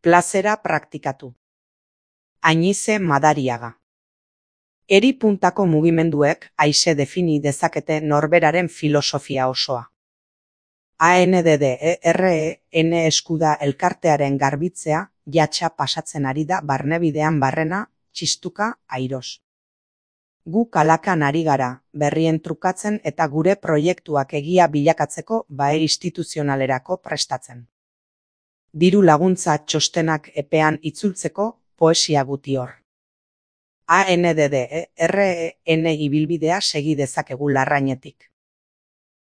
Plazera praktikatu. Ainize Madariaga. Eri puntako mugimenduek aise defini dezakete norberaren filosofia osoa. ANDDEREN eskuda elkartearen garbitzea jatxa pasatzen ari da barnebidean barrena, txistuka, airos. Gu kalakan ari gara, berrien trukatzen eta gure proiektuak egia bilakatzeko bae instituzionalerako prestatzen. Diru laguntza txostenak epean itzultzeko poesia guti hor. ANDDEREN ibilbidea segi dezakegu larrainetik.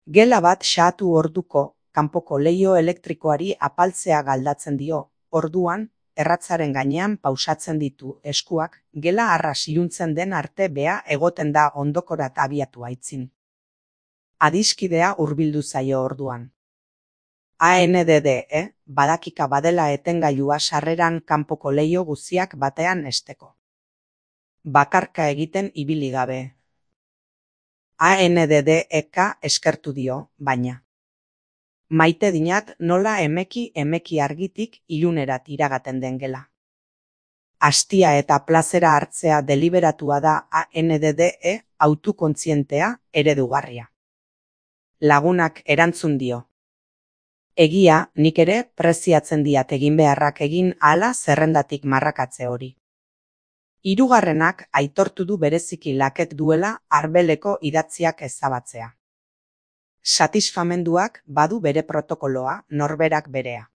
Gela bat xahatu orduko, kanpoko leiho elektrikoari apaltzea galdatzen dio, orduan, erratzaren gainean pausatzen ditu eskuak, gela arras iluntzen den arte bea egoten da ondokorat abiatu aitzin. Adiskidea hurbildu zaio orduan. ANDDE, badakika badela etengailua sarreran kanpoko leiho guziak batean esteko. Bakarka egiten ibili gabe. ANDDEK eskertu dio, baina. Maite dinat nola emeki argitik ilunerat iragaten den gela. Astia eta plazera hartzea deliberatua da ANDDE autokontzientea eredugarria. Lagunak erantzun dio. Egia, nik ere preziatzen diat egin beharrak egin hala zerrendatik marrakatze hori. Hirugarrenak aitortu du bereziki laket duela arbeleko idatziak ezabatzea. Satisfamenduak badu bere protokoloa, norberak berea.